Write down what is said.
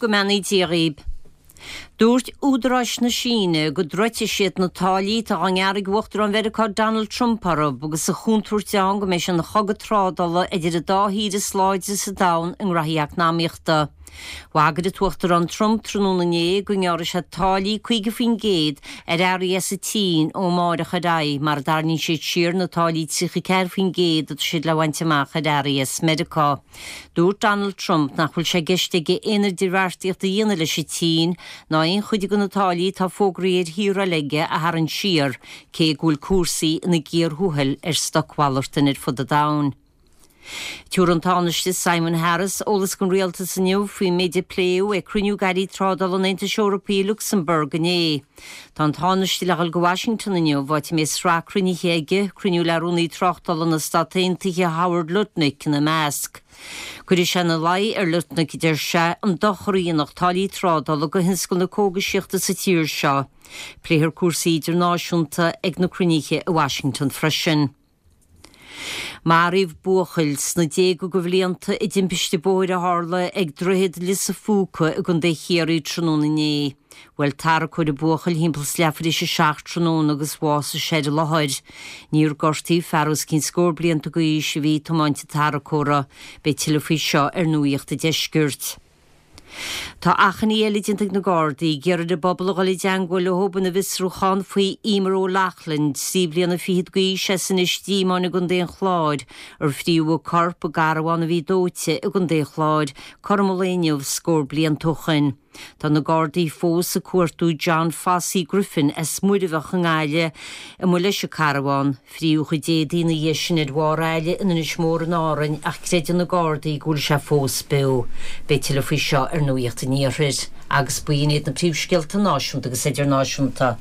Go mbeannaí Dia dhaoib. Dúirt údaráis na Síne go dtroidfidh siad na táillí atá á ngearradh ag Uachtarán Mheiriceá Donald Trump orthu agus an chontúirt ann go mbeidh sé ina chogadh trádála idir an dá thír is láidre sa domhan i ngraithí eacnamaíochta. Bhagair an tUachtarán Trump tráthnóna inné go ngearrfaidh sé táillí 50% ar earraí as an tSín ó amárach ar aghaidh mara dtarraingíonn siad siar na táillí 34% atá siad le bhaint amach ar earraí as Meiriceá. Dúirt Donald Trump nach bhfuil sé i gceist aige aon idirbheartaíocht a dhéanamh leis an tSín ná aon chuid de na táillí atá fógraithe ar thíortha eile aige a tharraingt siar, cé go bhfuil cúrsaí ina gcíor thuathail ar stocmhalartain ar fud an domhain. Tabharfaidh an Tánaiste Simon Harris eolas don Rialtas inniu faoin méid a pléadh ag cruinniú d'airí trádála an Aontais Eorpaigh i Lucsamburg inné. Tá an Tánaiste le dhul go Washington inniu, áit a mbeidh sraith cruinnithe aige, cruinniú le Rúnaí Tráchtála na Stát Aontaithe Howard Lutnick ina measc. Cuirfidh sé ina luí ar Lutnick, a deir sé, an dochar a dhéanfadh táillí trádála do thionscal na cógaisíochta sa tír seo. Pléifear cúrsaí idirnáisiúnta ag na cruinnithe i Washington freisin. Maraíodh buachaill sna déaga de bhlianta i dtimpiste bóthair a tharla ag Droichead Lios a' Phúca i gContae Chiarraí tráthnóna inné. Bhuail tarracóir an buachaill thimpeall is leathuair théis a 7 tráthnóna agus bhásaigh sé ar an láthair. Níor gortaíodh fear os cionn scór blianta d'aois a bhí ag tiomáint an tarracóra. Beidh tuilleadh faoi seo ar Nuacht an Deiscirt. Tá achainí eile déanta ag na Gardaí ag iarraidh ar an bpobal a dhul i dteangmháil leo ina bhfiosrúchán faoi Emer O'Loughlin, 13 bliana fichead d'aois as Inis Díomáin i gContae an Chláir, ar fríodh a corp i gcarbhán a bhí dóite i gContae an Chláir cothrom an lae inniu scór blianta ó shoin. Tá na Gardaí fós ag cuartú John Fossey Griffin as Muirbheach i nGaillimh amuigh leis an carbhán. Fríodh a chuid éadaí ina dhiaidh sin ar bharr aille in Inis Mór in Árainn ach creideann na Gardaí go bhfuil sé fós beo. Beidh tuilleadh faoi seo ar Nuacht an Iarthair. Agus b'in iad na príomhscéalta náisiúnta agus idirnáisiúnta.